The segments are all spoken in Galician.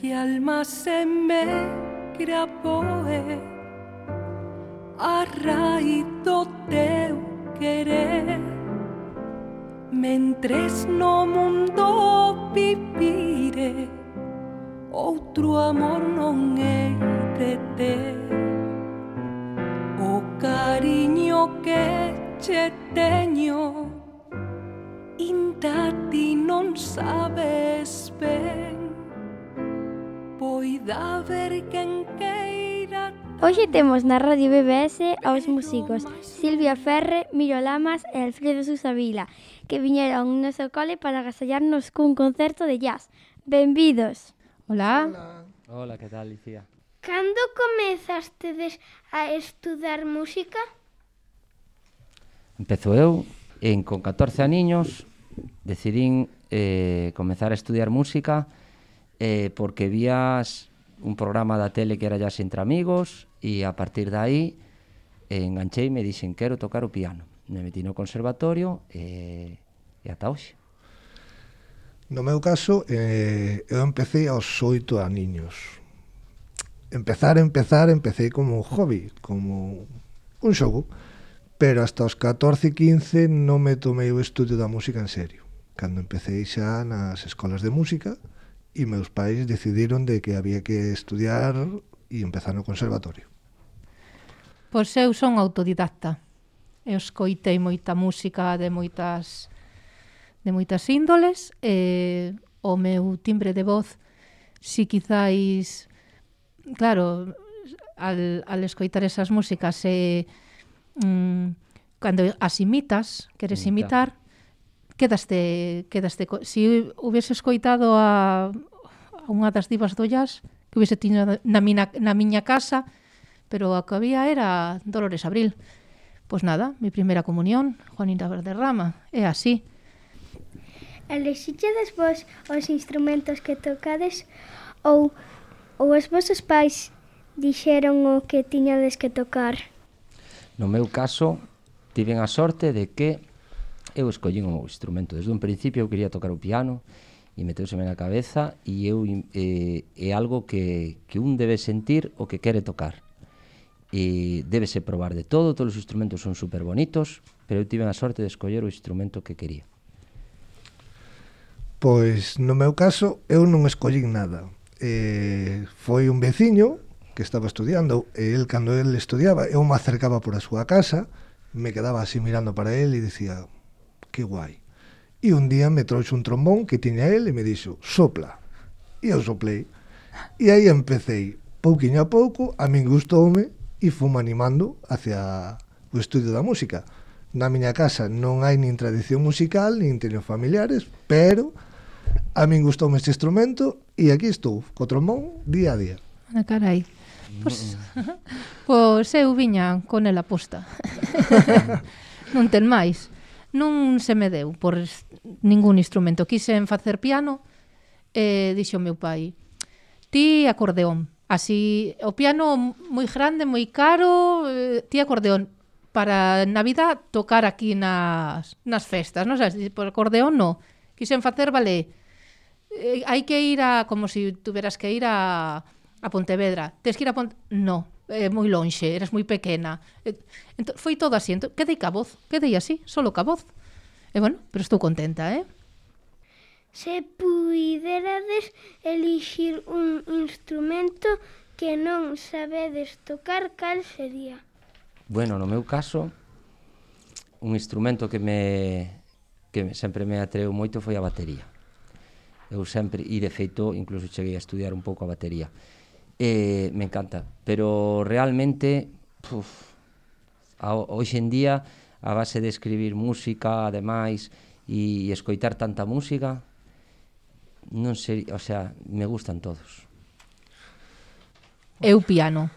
y alma se me gravoe a raíz do teu querer. Mentres no mundo vivire, outro amor non hei de ter. O cariño que che teño, inda ti non sabes ben. Poida haber quen queira. Hoxe temos na Radio BBS aos músicos Silvia Ferre, Miro Lamas e Alfredo Sousa Vila, que viñeron no noso cole para agasallarnos cun concerto de jazz. Benvidos! Hola. Hola, que tal, Licía? Cando comezastedes a estudar música? Empezo eu, con 14 aniños, decidín comezar a estudiar música porque vías un programa da tele que era Jazz entre amigos e a partir de aí engancheime e dixen quero tocar o piano. Me metí no conservatorio e ata hoxe. No meu caso, eu empecé aos 8 aniños. Empecé como hobby, como un xogo, pero hasta os 14 e 15 non me tomei o estudio da música en serio. Cando empecé xa nas escolas de música e meus pais decidiron de que había que estudiar e empezar no conservatorio. Pois eu son autodidacta. Eu escoitei moita música de moitas índoles e o meu timbre de voz, si quizáis, claro, al escoitar esas músicas cando as imitas, queres imitar, quedaste si hubiese escoitado a unha das divas do jazz que hubiese tiño na miña casa, pero a que había era Dolores Abril. Pois nada, mi primeira comunión, Juanita Valderrama, é así. Elixichedes vos os instrumentos que tocades ou os vosos pais dixeron o que tiñades que tocar? No meu caso, tiven a sorte de que eu escollín o instrumento. Desde un principio eu quería tocar o piano e meteuseme na cabeza e é algo que un debe sentir o que quere tocar. E débese probar de todo, todos os instrumentos son super bonitos, pero eu tive a sorte de escoller o instrumento que quería. Pois no meu caso eu non escollín nada. Foi un veciño que estaba estudiando e el, cando el estudiaba, eu me acercaba por a súa casa, me quedaba así mirando para el e dicía, que guai. E un día me trouxe un trombón que tiña el e me dixo, sopla. E eu soplei. E aí empecé, pouquiño a pouco, a min gustoume e fume animando hacia o estudio da música. Na miña casa non hai nin tradición musical, nin teño familiares, pero a min gustoume este instrumento e aquí estou, co trombón, día a día. Ah, carai. Pois eu viña con ela posta. Non ten máis. Non se me deu por ningún instrumento. Quixen facer piano e dixo o meu pai, ti acordeón. Así, o piano moi grande, moi caro, ti acordeón. Para Navidad tocar aquí nas festas, non sabes? Por acordeón non. Quixen facer, vale, hai que ir a, como se tuveras que ir a Pontevedra. Tens que ir a no, moi lonxe, eras moi pequena. Foi todo así, quedei ca voz, quedei así, solo ca voz. E bueno, pero estou contenta, Se puiderades elixir un instrumento que non sabedes tocar, cal sería? Bueno, no meu caso, un instrumento que sempre me atreu moito foi a batería. Eu sempre, e de feito, incluso cheguei a estudiar un pouco a batería. Me encanta, pero realmente, hoxe en día, a base de escribir música, ademais, e escoitar tanta música, non sei, o sea, me gustan todos. Eu piano.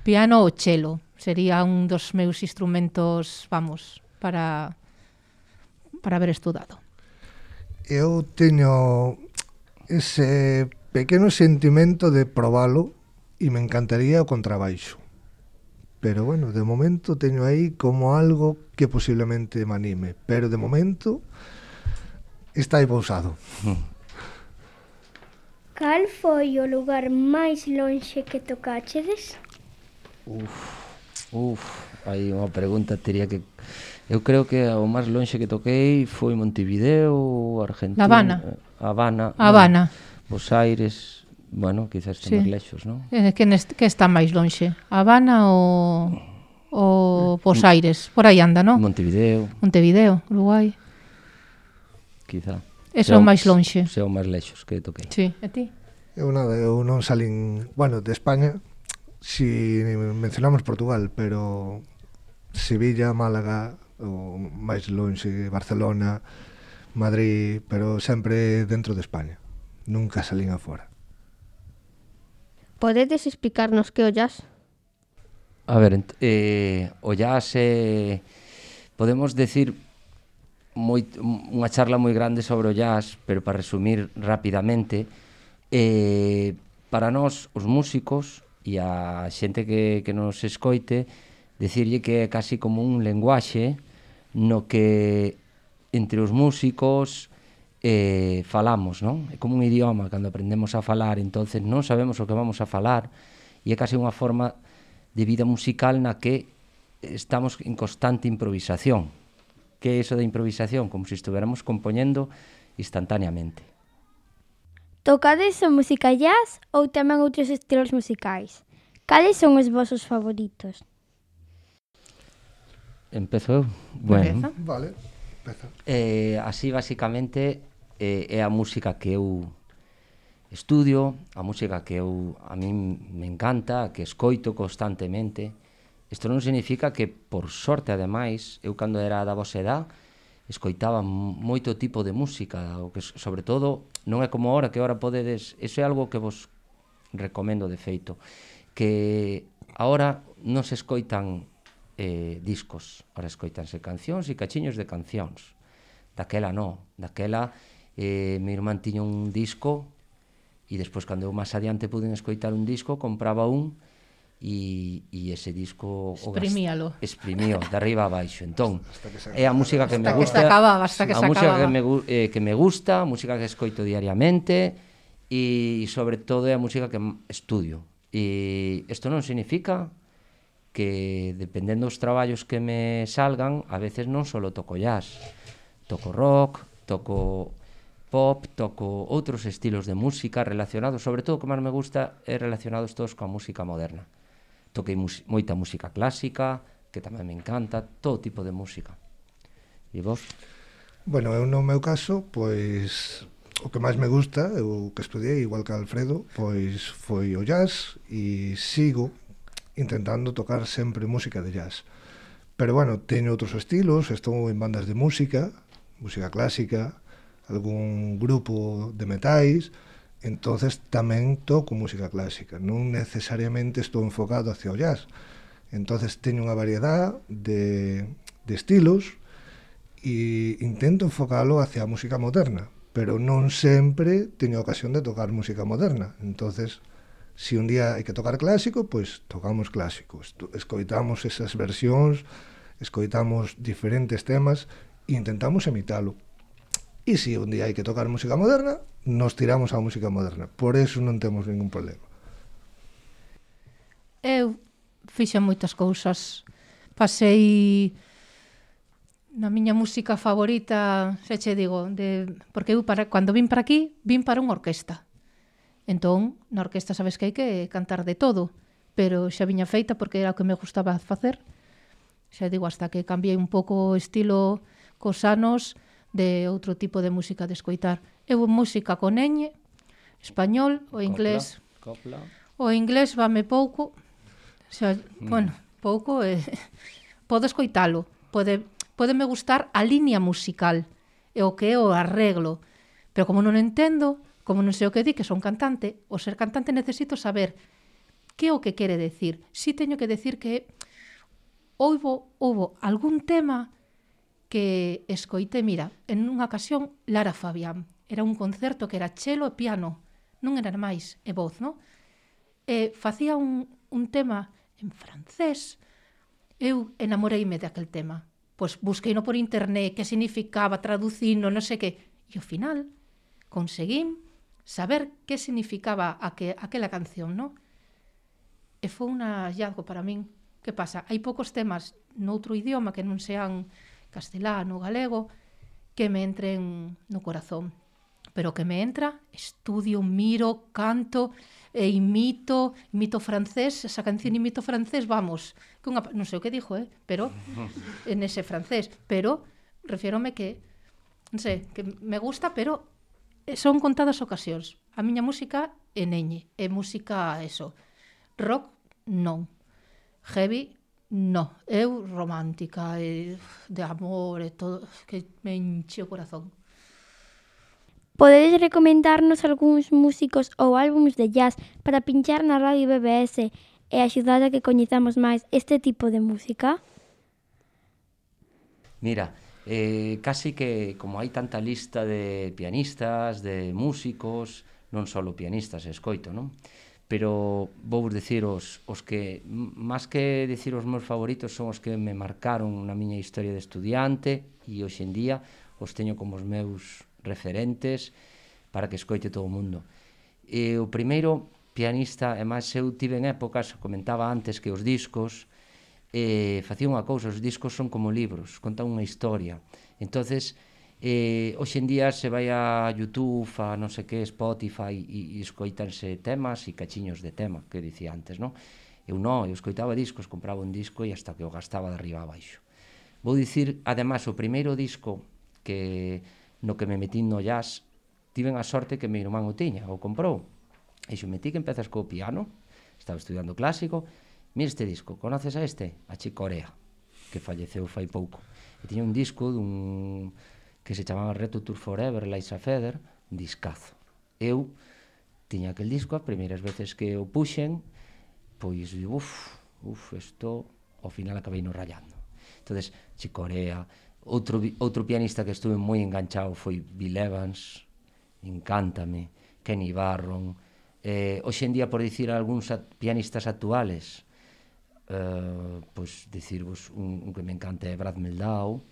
Piano ou chelo. Sería un dos meus instrumentos, vamos, para haber estudado. Eu teño ese pequeno sentimento de probalo e me encantaría o contrabaixo. Pero bueno, de momento teño aí como algo que posiblemente me anime. Pero de momento está aí pousado. Cal foi o lugar máis lonxe que tocachedes? Aí unha pregunta teria que... Eu creo que o máis lonxe que toquei foi Montevideo, Argentina... Habana. Bueno, Bos Aires... Bueno, quizás este máis lexos, non? Que está máis lonxe? Habana ou Bos Aires? Por aí anda, non? Montevideo, Uruguai. quizá. Eso é o máis lonxe. Ese é o máis lexos que toquei. Sí, e ti? Eu non salín, bueno, de España, si mencionamos Portugal, pero Sevilla, Málaga, o máis lonxe, Barcelona, Madrid, pero sempre dentro de España. Nunca salín afora. Podedes explicarnos que o jazz? A ver, o jazz podemos decir unha charla moi grande sobre o jazz, pero para resumir rapidamente, para nós, os músicos e a xente que nos escoite, decirlle que é casi como un lenguaxe no que entre os músicos falamos, non? É como un idioma, cando aprendemos a falar, entonces non sabemos o que vamos a falar, e é casi unha forma de vida musical na que estamos en constante improvisación. Que é iso da improvisación? Como se estuviéramos compoñendo instantáneamente. Tocades a música jazz ou tamén outros estilos musicais? Cales son os vosos favoritos? Empezo eu? Bueno, Vale, empeza. así basicamente é a música que eu estudio, a música que a min me encanta, que escoito constantemente. Isto non significa que, por sorte, ademais, eu cando era da vosa edad, escoitaba moito tipo de música, o que, sobre todo, non é como ahora, que ahora podedes... Iso é algo que vos recomendo de feito, que ahora non se escoitan discos, ahora escoitanse cancións e cachiños de cancións. Daquela non, daquela meu irmán tiña un disco e despois, cando eu máis adiante puden escoitar un disco, compraba un e ese disco exprimíalo de arriba a baixo. Entón, é a música que me gusta, hasta que se acababa. Que me gusta, a música que escoito diariamente e sobre todo é a música que estudio. E isto non significa que, dependendo dos traballos que me salgan, a veces non só toco jazz, toco rock, toco pop, toco outros estilos de música relacionados, sobre todo o que máis me gusta é relacionados todos coa música moderna. Toquei moita música clásica, que tamén me encanta, todo tipo de música. E vos? Bueno, eu no meu caso, pois o que máis me gusta, eu que estudiei igual que Alfredo, pois foi o jazz e sigo intentando tocar sempre música de jazz. Pero bueno, teño outros estilos, estou en bandas de música clásica, algún grupo de metais, entonces tamén toco música clásica, non necesariamente estou enfocado hacia o jazz. Entonces teño unha variedade de estilos e intento enfocalo hacia a música moderna, pero non sempre teño ocasión de tocar música moderna. Entonces, se un día hai que tocar clásico, pois tocamos clásico, escoitamos esas versións, escoitamos diferentes temas e intentamos imitalo. E se un día hai que tocar música moderna, nos tiramos á música moderna. Por eso non temos ningún problema. Eu fixen moitas cousas. Pasei na miña música favorita, xa che digo, porque eu cando vin para aquí, vin para unha orquesta. Entón, na orquesta sabes que hai que cantar de todo, pero xa viña feita porque era o que me gustaba facer. Xa digo, hasta que cambiei un pouco o estilo cos anos, de outro tipo de música de escoitar. Eu música con ñ, español, o inglés. Copla. O inglés vame pouco. Xa, bueno, pouco podo escoitalo. Pódeme gustar a línea musical e o que é o arreglo. Pero como non entendo, como non sei o que di, que son cantante, o ser cantante necesito saber que é o que quere decir. Si teño que decir que houbo algún tema que escoite, mira, en unha ocasión Lara Fabián, era un concerto que era chelo e piano, non era máis, e voz, non? E facía un tema en francés, eu enamoreime de aquel tema, pois busqueino por internet, que significaba, traducino, non sei que, e ao final conseguín saber que significaba aquela canción, non? E foi un hallazgo para min. Que pasa? Hai poucos temas noutro idioma que non sean castelano, galego, que me entren no corazón. Pero que me entra, estudio, miro, canto, imito francés, esa canción imito francés, vamos, que non sei o que dixo, pero en ese francés, pero refiérome que, non sei, que me gusta, pero son contadas ocasións. A miña música é neñe, é música, eso, rock, non. Heavy, non. Eu romántica, de amor, e todo, que me enche o corazón. Podedes recomendarnos algúns músicos ou álbums de jazz para pinchar na Radio BBS e axudar a que coñezamos máis este tipo de música? Mira, casi que como hai tanta lista de pianistas, de músicos, non só pianistas, escoito, non? Pero vou dicir os que, máis que dicir os meus favoritos, son os que me marcaron na miña historia de estudiante e hoxe en día os teño como os meus referentes para que escoite todo o mundo. E o primeiro pianista, e máis eu tive en épocas, comentaba antes que os discos facía unha cousa, os discos son como libros, contan unha historia. Entonces, hoxe en día se vai a YouTube, a non sei que, Spotify, e escoitanse temas e cachiños de tema, que dicía antes, non? Eu non, eu escoitaba discos, compraba un disco e hasta que o gastaba de arriba a baixo. Vou dicir, ademais, o primeiro disco no que me metín no jazz, tiven a sorte que meu irmán o tiña, o comprou. E xo metí que empezas co piano, estaba estudiando clásico, mira este disco, conoces a este? A Chick Corea, que falleceu fai pouco. E tiña un disco que se chamaba Reto Tour Forever, Liza Feather, un discazo. Eu tiña aquel disco, as primeiras veces que o puxen, pois, isto, ao final acabei no rayando. Entonces, Chick Corea, outro pianista que estuve moi enganchado foi Bill Evans, encántame, Kenny Barron, hoxe en día, por dicir algúns pianistas actuales, pois dicirvos un que me encanta é Brad Meldau,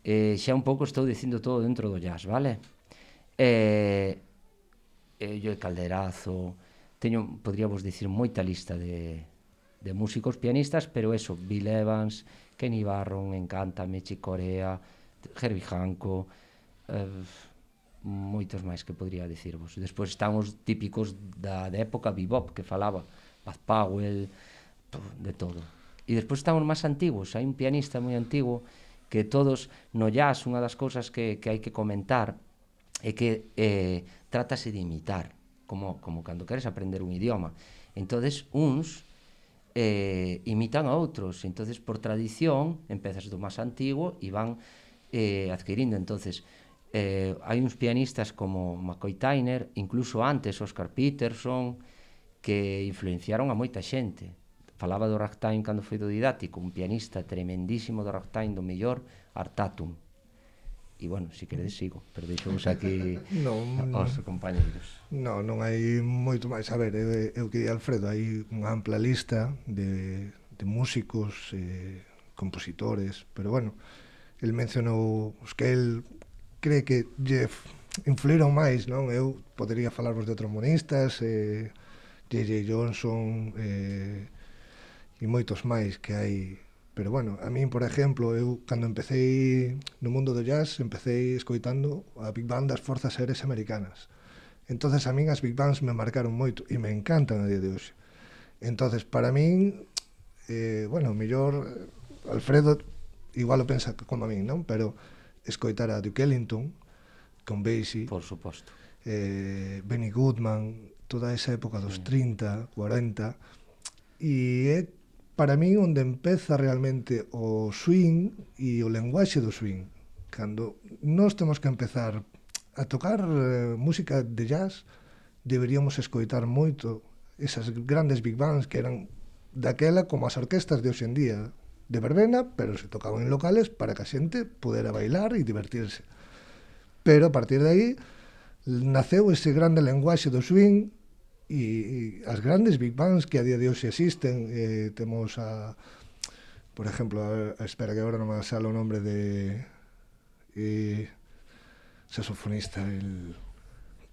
xa un pouco estou dicindo todo dentro do jazz, vale? Joe Calderazo, podríamos dicir moita lista de músicos pianistas, pero eso, Bill Evans, Kenny Barron, encántame, Chick Corea, Herbie Hancock, moitos máis que podría dicirvos. Despois están os típicos da época bebop que falaba, Bud Powell, de todo. E despois están os máis antigos, hai un pianista moi antigo que todos no jazz, unha das cousas que hai que comentar é que trátase de imitar, como cando queres aprender un idioma. Entonces, uns imitan a outros, entonces por tradición empezas do máis antigo e van adquirindo. Entonces, hai uns pianistas como McCoy Tyner, incluso antes Oscar Peterson, que influenciaron a moita xente. Falaba do ragtime cando foi do didáctico, un pianista tremendísimo do ragtime, do mellor, Art Tatum. E, bueno, se queredes sigo, pero deixamos aquí aos compañeiros. Non hai moito máis. A ver, eu que di Alfredo, hai unha ampla lista de músicos, compositores, pero, bueno, el mencionou os que el cree que lle influíron máis, non? Eu podería falarvos de trombonistas, J.J. Johnson, e moitos máis que hai. Pero, bueno, a min, por exemplo, eu cando empecé no mundo do jazz, empecé escoitando a Big Band das Forzas Aéreas Americanas. Entonces, a min as Big Bands me marcaron moito e me encantan a día de hoxe. Entonces, para min, bueno, mellor Alfredo igual o pensa como a min, non? Pero escoitar a Duke Ellington con Basie, por suposto, Benny Goodman, toda esa época dos 30, 40, e é para min onde empeza realmente o swing e o lenguaxe do swing. Cando nós temos que empezar a tocar música de jazz, deberíamos escoitar moito esas grandes big bands que eran daquela como as orquestas de hoxe en día, de verbena, pero se tocaban en locales para que a xente pudera bailar e divertirse. Pero a partir de aí naceu ese grande lenguaxe do swing e as grandes big bands que a día de hoxe existen. Temos por exemplo, espera que agora non me sale o nombre de saxofonista,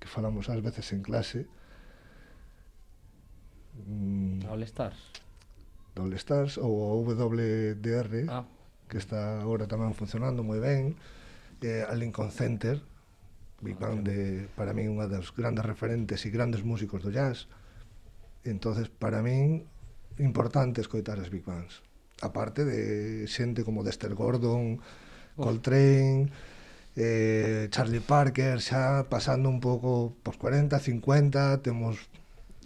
que falamos ás veces en clase. All Stars. All Stars ou o WDR, Ah. que está agora tamén funcionando moi ben, a Lincoln Center, Big Band para min unha das grandes referentes e grandes músicos do jazz. Entonces, para min, importante escoitar as Big Bands. Aparte de xente como Dexter Gordon, Coltrane, Charlie Parker, xa pasando un pouco pos 40, 50, temos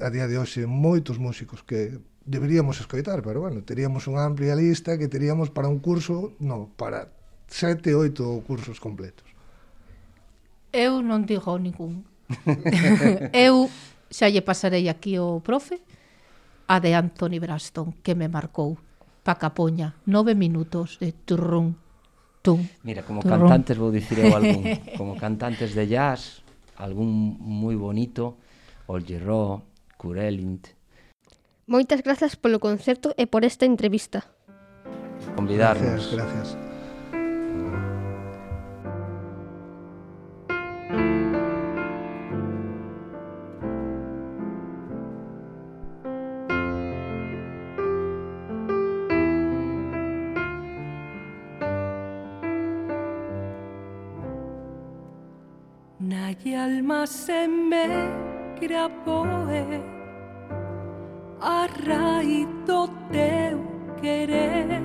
a día de hoxe moitos músicos que deberíamos escoitar, pero bueno, teríamos unha amplia lista que teríamos para un curso, para 7, 8 cursos completos. Eu non digo ningún. Eu xa lle pasarei aquí o profe a de Anthony Braxton, que me marcou pa capoña, 9 minutos de turrún, tum. Mira, como turrún. cantantes vou dicir eu algún, como cantantes de jazz, algún moi bonito, Olgy Raw, Curelint, Moitas grazas polo concerto e por esta entrevista. convidarnos. Gracias. Nai alma se me graboe a raíz do teu querer,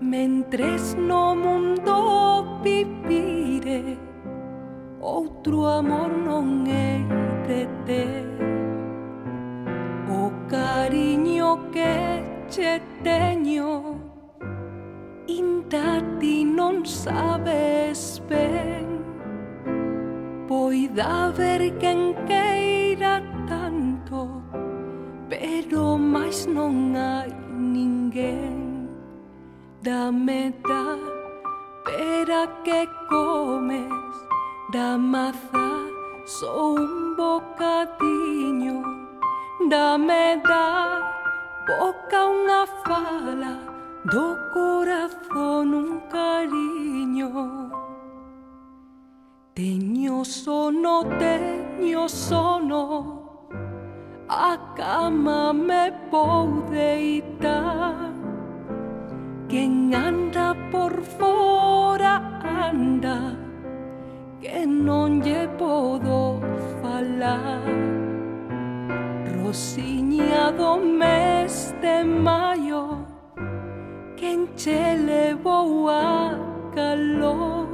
mentres no mundo vivire outro amor non hei de ter. O cariño que che teño inda ti non sabes ben. Poida haber quen queira tanto, pero máis non hai ninguén. Dame da pera que comes, da maza só un bocadiño. Dame da boca unha fala, do corazón un cariño. Teño sono, a cama me vou deitar. Quen anda por fora anda, que non lle podo falar. Rosiña do mes de maio, quen che levou a calor.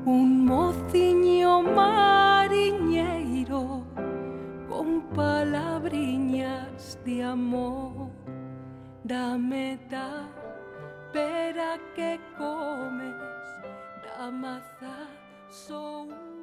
Un mociño mariñeiro con palabriñas de amor. Dame da pera que comes, da maza só un